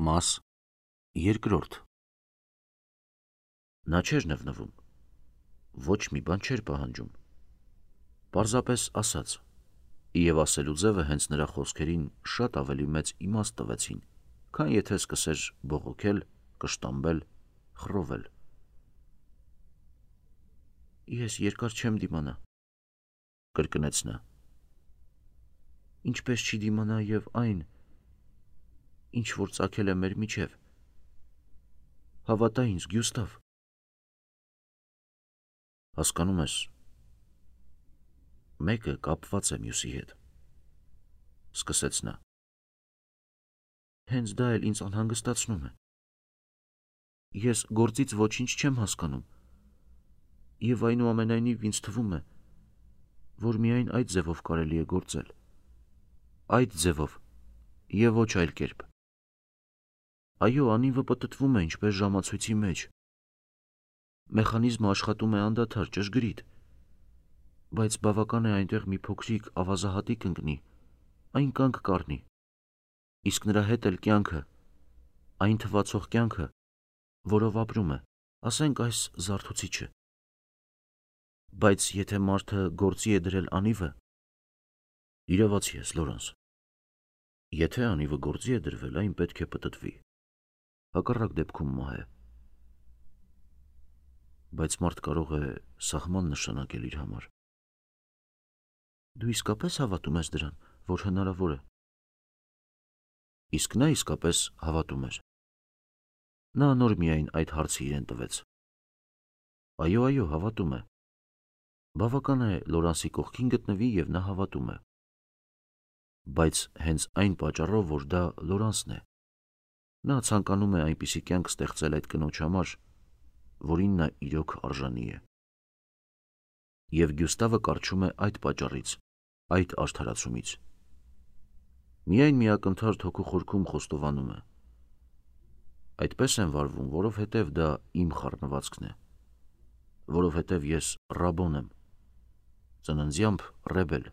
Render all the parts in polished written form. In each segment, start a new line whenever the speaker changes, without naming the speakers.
Մաս երկրորդ։ Նա չէր նվնվում, ոչ մի բան չէր պահանջում, պարզապես ասաց, և ասելու ձևը հենց նրա խոսքերին շատ ավելի մեծ իմաստ տվեցին, քան եթե սկսեր բողոքել, կշտամբել, խռովել։ Ես երկար չեմ դիմանա, կրկնեց նա, ինչպես չի դիմանա և այն, ինչ որ ծագել է մեր միջև։ Հավատա ինձ, Գյուստավ։ Հասկանում ես, մեկը կապված է մյուսի հետ, սկսեց նա։ Հենց դա էլ ինձ անհանգստացնում է։ Ես գործից ոչինչ չեմ հասկանում, և այնուամենայնիվ ինձ թվում է, որ միայն այդ ձևով կարելի է գործել, այդ ձևով և ոչ այլ կերպ։ Այո, անիվը պտտվում է ինչպես ժամացույցի մեջ։ Մեխանիզմը աշխատում է անդադար, ճշգրիտ, բայց բավական է այնտեղ մի փոքրիկ ավազահատիկ ընկնի, այն կանգ կառնի, իսկ նրա հետ էլ կյանքը, այն թվացող կյանքը, որով ապրում է, ասենք այս զարթուցիչը։ Բայց եթե մարդը գործի է դրել անիվը, իրավացի ես, Լորանս, եթե անիվը գործի է դրվել, այն պետք է պտտվի, հակառակ դեպքում մահ է։ Բայց մարդ կարող է սահման նշանակել իր համար։ Դու իսկապես հավատում ես դրան, որ հնարավոր է։ Իսկ նա իսկապես հավատում էր։ Նա նոր միայն այդ հարցը իրեն տվեց։ Այո, հավատում է։ Բավական է Լորանսի կողքին գտնվի և նա հավատում է։ Բայց հենց այն պատճառով, որ դա Լորանսն է, նա ցանկանում է այնպիսի կյանք ստեղծել այդ կնոջ համար, որին նա իրոք արժանի է։ Եվ Գյուստավը կառչում է այդ պատճառից, այդ արդարացումից։ Միայն մի ակնթարթ հոգու խորքում խոստովանում է. այդպես եմ վարվում, որովհետև դա իմ խառնվածքն է, որովհետև ես Ռաբոն եմ, ծննդյամբ Ռեբել,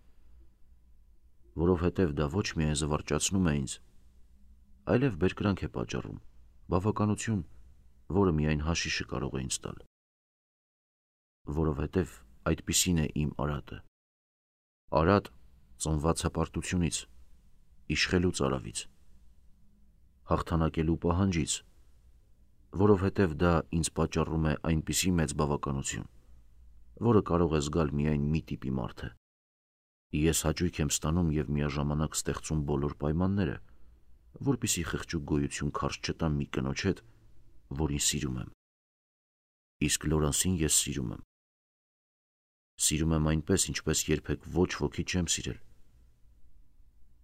որովհետև դա ոչ միայն զվարճացնում է ինձ, այլև բերկրանք է պատճառում, բավականություն, որը միայն հաշիշը կարող է ինձ տալ, որովհետև այդպիսին է իմ արատը, արատ ծնված հպարտությունից, իշխելու ծարավից, հաղթանակելու պահանջից, որովհետև դա ինձ պատճառում է այնպիսի մեծ բավականություն, որը կարող է զգալ միայն մի տիպի մարդը։ Ես հաճույք եմ ստանում և միաժամանակ ստեղծում բոլոր պայմանները, որպեսզի խղճուկ գոյություն քարշ չտամ մի կնոջ հետ, որին սիրում եմ։ Իսկ Լորանսին ես սիրում եմ։ Սիրում եմ այնպես, ինչպես երբեք ոչ ոքի չեմ սիրել։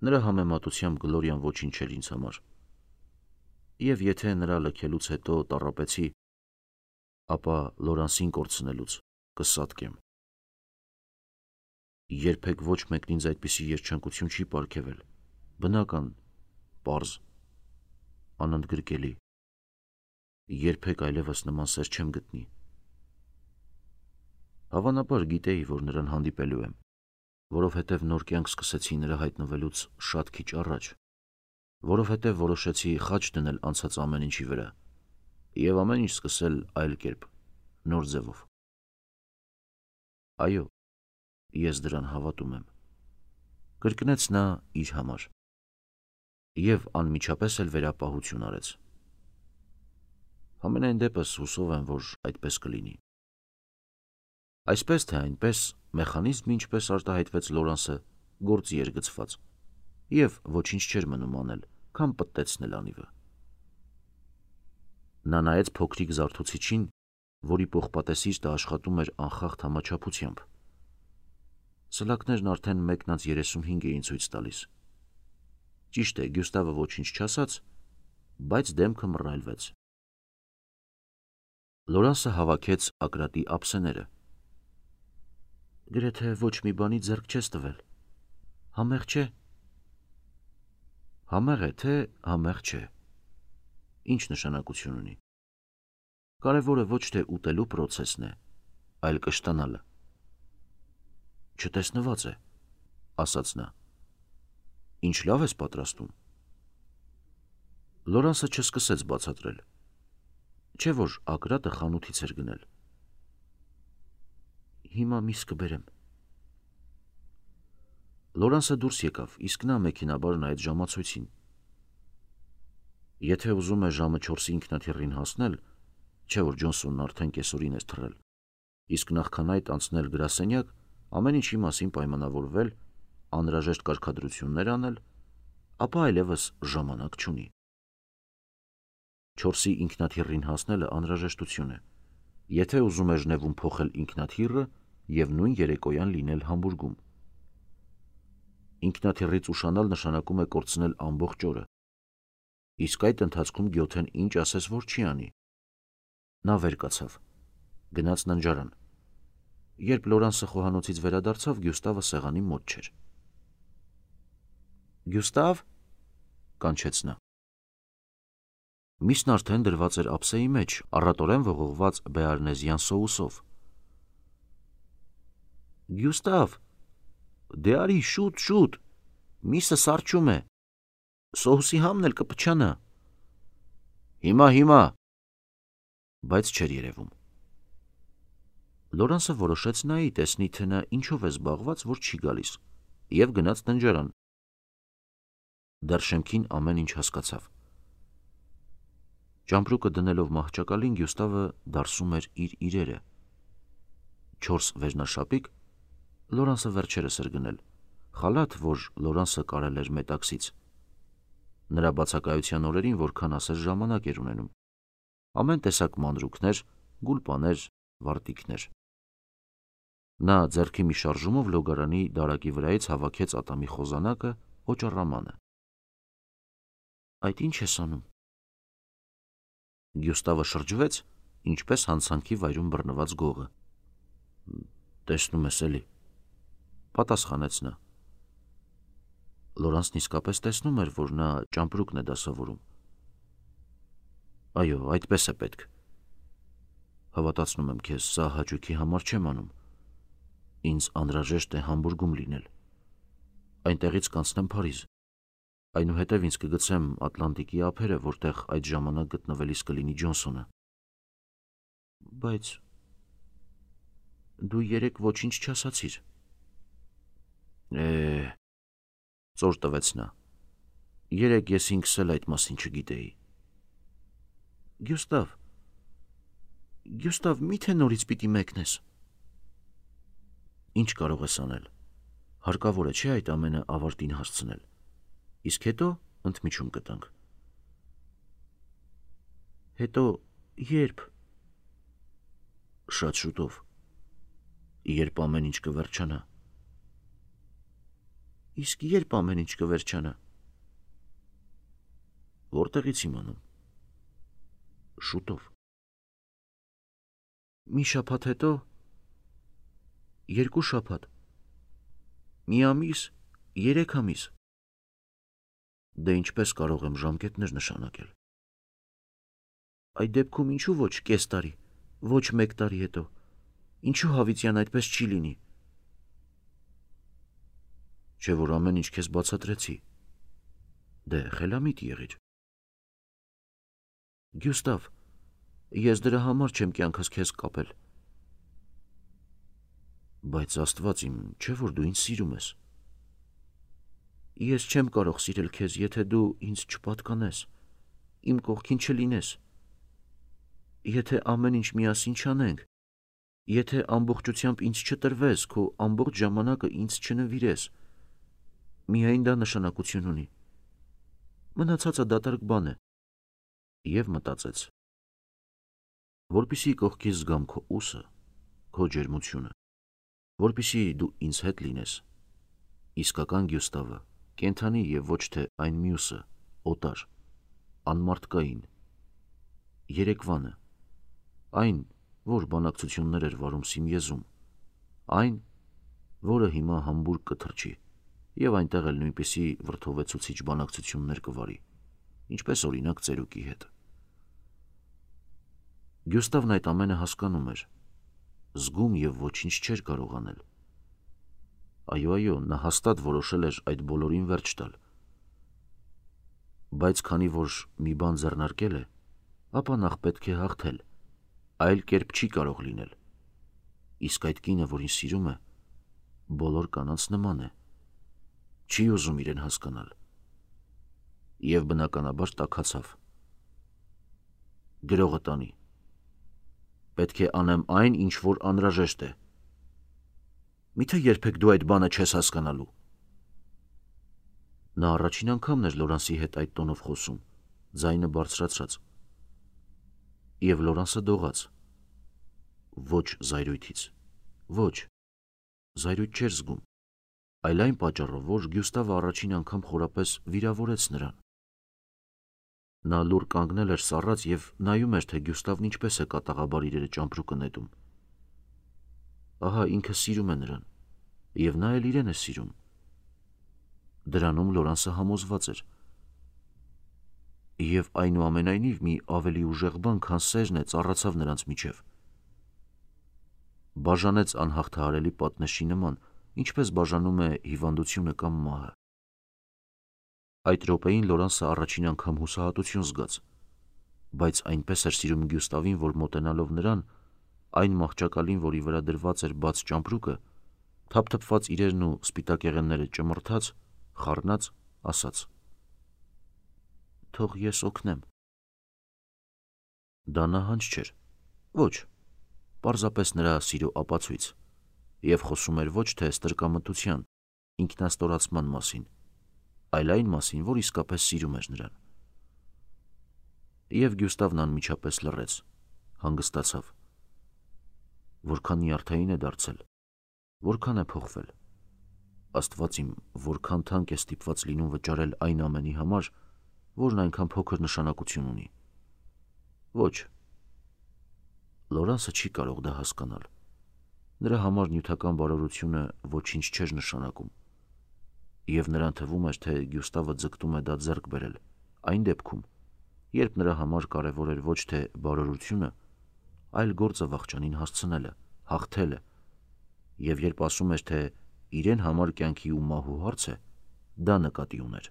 Նրա համեմատությամբ Գլորիան ոչինչ էր ինձ համար։ Եվ եթե նրա լքելուց հետո տառապեցի, ապա Լորանսին կորցնելուց կսատկեմ։ Երբեք ոչ մեկն ինձ այդպիսի երջանկություն չի պարգևել, բնական, պարզ, անընդգրկելի։ Երբեք այլևս նման սեր չեմ գտնի։ Հավանաբար գիտեի, որ նրան հանդիպելու եմ, որովհետև նոր կյանք սկսեցի նրա հայտնվելուց շատ քիչ առաջ, որովհետև որոշեցի խաչ դնել անցած ամեն ինչի վրա և ամեն ինչ սկսել այլ կերպ, նոր ձևով։ Այո, ես դրան հավատում եմ, կրկնեց նա իր համար և անմիջապես էլ վերապահություն արեց։ Համենայն դեպս հուսով եմ, որ այդպես կլինի։ Այսպես թե այնպես, մեխանիզմը, ինչպես արտահայտվեց Լորանսը, գործի էր գցված, և ոչինչ չէր մնում անել, քան պտտեցնել անիվը։ Նա նայեց փոքրիկ զարթուցիչին, որի պողպատեսիստը աշխատում էր անխախտ համաչափությամբ։ Սլաքներն արդեն 1:35 էին ցույց տալիս։ Ճիշտ է, Գյուստավը ոչինչ չասաց, բայց դեմքը մռայլվեց։ Լորանսը հավաքեց ակրատի ափսեները։ Գրեթե ոչ մի բանի ձեռք չես տվել։ Համեղ չէ։ Համեղ է, թե համեղ չէ։ Ինչ նշանակություն ունի։ Կարևորը ոչ թե ուտելու պրոցեսն է, այլ կշտանալը։ Չտեսնված է, ասաց նա։ Ինչ լավ ես պատրաստում։ Լորանսը չսկսեց բացատրել, չէ որ Ակրատը խանութից էր գնել։ Հիմա միս կբերեմ։ Լորանսը դուրս եկավ, իսկ նա մեքենաբար նայեց ժամացույցին։ Եթե ուզում է ժամը 4-ի ինքնաթիռին հասնել, չէ որ Ջոնսոնն արդեն կեսօրին էր թռել, իսկ նախքան այդ անցնել գրասենյակ, ամեն ինչի մասին պայմանավորվել, անհրաժեշտ կարգադրություններ անել, ապա այլևս ժամանակ չունի։ 4-ի ինքնաթիռին հասնելը անհրաժեշտություն է, եթե ուզում է Ժնևում փոխել ինքնաթիռը և նույն երեկոյան լինել Համբուրգում։ Ինքնաթիռից ուշանալ նշանակում է կորցնել ամբողջ օրը, իսկ այդ ընթացքում Գյոթեն ինչ ասես որ չի անի։ Նա վեր կացավ, գնաց ննջարան։ Երբ Լորանսը խոհանոցից վերադարձավ, Գյուստավը սեղանի մոտ չէր։ Գյուստավ, կանչեց նա։ Միսն արդեն դրված էր ափսեի մեջ, առատորեն ողողված բեարնեզյան սոուսով։ Գյուստավ, դե արի, շուտ, միսը սառչում է, սոուսի համն էլ կպչանա։ Հիմա, բայց չէր երևում։ Լորանսը որոշեց նայի, տեսնի թե նա ինչով է զբաղված, որ չի գալիս, և գնաց ննջարան։ Դեռ շեմքին ամեն ինչ հասկացավ։ Ճամպրուկը դնելով մահճակալին, Գյուստավը դարսում էր իր իրերը։ 4 վերնաշապիկ, Լորանսը վերջերս էր գնել, խալաթ, որ Լորանսը կարել էր մետաքսից։ Նրա բացակայության օրերին որքան ասես ժամանակ էր ունենում։ Ամեն տեսակ մանրուքներ, գուլպաներ, վարտիքներ։ Նա ձեռքի մի շարժումով լոգարանի դարակի վրայից հավաքեց ատամի խոզանակը, օճառամանը։ Այդ ինչ ես անում։ Գյուստավը շրջվեց, ինչպես հանցանքի վայրում բռնված գողը։ Տեսնում ես էլի, պատասխանեց նա։ Լորանսն իսկապես տեսնում էր, որ նա ճամպրուկն է դասավորում։ Այո, այդպես է պետք։ Հավատացնում եմ քեզ, սա հաճույքի համար չեմ անում։ Ինձ անհրաժեշտ է Համբուրգում լինել։ Այնտեղից կանցնեմ Փարիզ։ Այնուհետև ինձ կգցեմ Ատլանտիկի ափերը, որտեղ այդ ժամանակ գտնվելիս կլինի Ջոնսոնը։ Բայց դու երեկ ոչինչ չասացիր։ Ծոր տվեց նա։ Երեկ ես ինքս էլ այդ մասին չգիտեի։ Գյուստավ, միթե նորից պիտի մեկնես։ Ինչ կարող ես անել։ Հարկավոր է չէ այդ ամենը ավարտին հասցնել։ Իսկ հետո ընդմիջում կտանք։ Հետո երբ։ Շատ շուտով։ Երբ ամեն ինչ կվերջանա։ Իսկ երբ ամեն ինչ կվերջանա։ Որտեղից իմանամ։ Շուտով։ Մի շաբաթ հետո։ 2 շաբաթ։ Մի ամիս, 3 ամիս։ Դե ինչպես կարող եմ ժամկետներ նշանակել։ Այդ դեպքում ինչու ոչ կես տարի, ոչ 1 տարի հետո։ Ինչու հավիտյան այդպես չի լինի։ Չէ որ ամեն ինչ քեզ բացատրեցի։ Դե խելամիտ եղիր։ Գյուստավ, ես դրա համար չեմ կյանքս քեզ կապել։ Բայց Աստված իմ, չէ որ դու ինձ սիրում ես։ Ես չեմ կարող սիրել քեզ, եթե դու ինձ չպատկանես, իմ կողքին չլինես։ Եթե ամեն ինչ միասին չանենք, եթե ամբողջությամբ ինձ չտրվես, քո ամբողջ ժամանակը ինձ չնվիրես, միայն դա նշանակություն ունի։ Մնացածը դատարկ բան է։ Եվ մտածեց. որպեսզի կողքից զգամ քո ուսը, քո ջերմությունը, որպեսզի դու ինձ հետ լինես, իսկական Գյուստավը, կենդանի և ոչ թե այն մյուսը, օտար, անմարդկային, երեկվանը, այն, որ բանակցություններ էր վարում Սիմեզում, այն, որը հիմա Համբուրգ կթռչի և այնտեղ էլ նույնպիսի վրդովեցուցիչ բանակցություններ կվարի, ինչպես օրինակ ծերուկի հետ։ Գյուստավն այդ ամենը հասկանում էր, զգում և ոչինչ չէր կարող անել։ Այո, նա հաստատ որոշել էր այդ բոլորին վերջ տալ։ Բայց քանի որ մի բան ձեռնարկել է, ապա նախ պետք է հաղթել, այլ կերպ չի կարող լինել։ Իսկ այդ կինը, որին սիրում է, բոլոր կանանց նման է, չի ուզում իրեն հասկանալ։ Եվ բնականաբար տաքացավ։ Գրողը տանի։ Պետք է անեմ այն, ինչ որ անհրաժեշտ է։ Միթե երբեք դու այդ բանը չես հասկանալու։ Նա առաջին անգամն էր Լորանսի հետ այդ տոնով խոսում, ձայնը բարձրացրած։ Եվ Լորանսը դողաց։ Ոչ զայրույթից, ոչ, զայրույթ չէր զգում, այլ այն պատճառով, որ Գյուստավը առաջին անգամ խորապես վիրավորեց նրան։ Նա լուռ կանգնել էր սառած և նայում էր, թե Գյուստավն ինչպես է կատաղաբար իրերը ճամպրուկը նետում։ Ահա ինքը սիրում է նրան, և նա էլ իրեն է սիրում։ Դրանում Լորանսը համոզված էր։ Եվ այնուամենայնիվ մի ավելի ուժեղ բան, քան սերն է, ծառացավ նրանց միջև։ Բաժանեց անհաղթահարելի պատնեշի նման, ինչպես բաժանում է հիվանդությունը կամ մահը։ Այդ րոպեին Լորանսը առաջին անգամ հուսահատություն զգաց, բայց այնպես էր սիրում Գյուստավին, որ մոտենալով նրան, այն մահճակալին, որի վրա դրված էր բաց ճամպրուկը, թափթփված իրերն ու սպիտակեղենները ճմրթաց, խառնած, ասաց. «Թող ես օգնեմ»։ Դա նահանջ չէր, ոչ, պարզապես նրա սիրո ապացույց, և խոսում էր ոչ թե ստրկամտության, ինքնաստորացման մասին, այլ այն մասին, որ իսկապես սիրում էր նրան։ Եվ Գյուստավն անմիջապես լռեց, հանգստացավ։ Որքան նյարդային է դարձել, որքան է փոխվել։ Աստված իմ, որքան թանկ է ստիպված լինում վճարել այն ամենի համար, որն այնքան փոքր նշանակություն ունի։ Ոչ, Լորանսը չի կարող դա հասկանալ։ Նրա համար նյութական բարօրությունը ոչինչ չէր նշանակում։ Եվ նրան թվում էր, թե Գյուստավը ձգտում է դա ձեռք բերել, այն դեպքում, երբ նրա համար կարևոր էր ոչ թե բարօրությունը, այլ գործը վախճանին հասցնելը, հաղթելը, և երբ ասում էր, թե իրեն համար կյանքի ու մահու հարց է, դա նկատի ուներ։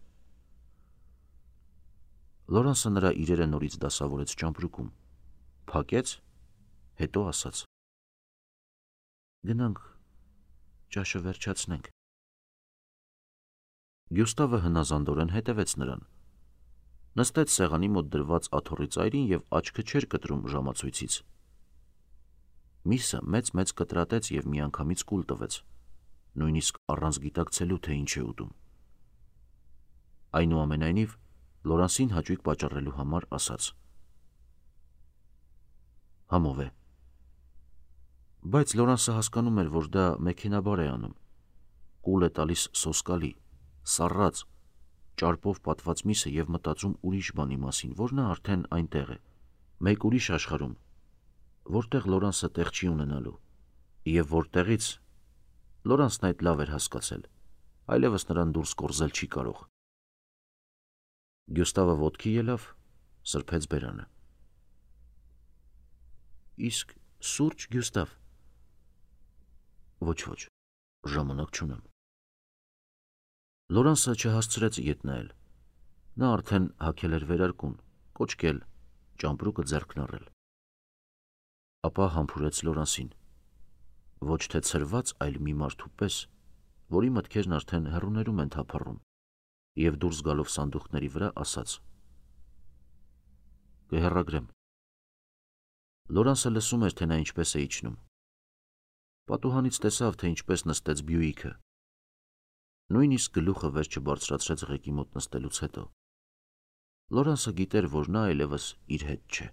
Լորանսը նրա իրերը նորից դասավորեց ճամպրուկում, փակեց, հետո ասաց. «Գնանք, ճաշը վերջացնենք»։ Գյուստավը հնազանդորեն հետևեց նրան։ Նստեց սեղանի մոտ դրված աթոռի ծայրին և աչքը չէր կտրում ժամացույցից։ Միսը մեծ-մեծ կտրատեց և միանգամից կուլ տվեց, նույնիսկ առանց գիտակցելու, թե ինչ է ուտում։ Այնուամենայնիվ, Լորանսին հաճույք պատճառելու համար ասաց. «Համով է»։ Բայց Լորանսը հասկանում էր, որ դա մեքենաբար է անում։ Կուլ է տալիս սոսկալի, սառած, ճարպով պատված միսը և մտածում ուրիշ բանի մասին, որ նա արդեն այնտեղ է, մեկ ուրիշ աշխարհում, որտեղ Լորանսը տեղ չի ունենալու, և որտեղից Լորանսն այդ լավ էր հասկացել, այլևս նրան դուրս կորզել չի կարող։ Գյուստավը ոտքի ելավ, սրբեց բերանը։ Իսկ սուրճ, Գյուստավ։ Ոչ, ժամանակ չունեմ։ Լորանսը չհասցրեց ետ նայել։ Նա արդեն հագել էր վերարկուն, կոճկել, ճամպրուկը ձեռքն առել։ Ապա համբուրեց Լորանսին, ոչ թե ցրված, այլ մի մարդու պես, որի մտքերն արդեն հեռուներում են թափառում, և դուրս գալով սանդուղքների վրա ասաց. «Կհեռագրեմ»։ Լորանսը լսում էր, թե նա ինչպես է իջնում։ Պատուհանից տեսավ, թե ինչպես նստեց Բյուիկը։ Նույնիսկ գլուխը վեր չբարձրացրեց ղեկի մոտ նստելուց հետո։ Լորանսը գիտեր, որ նա այլևս իր հետ չէ։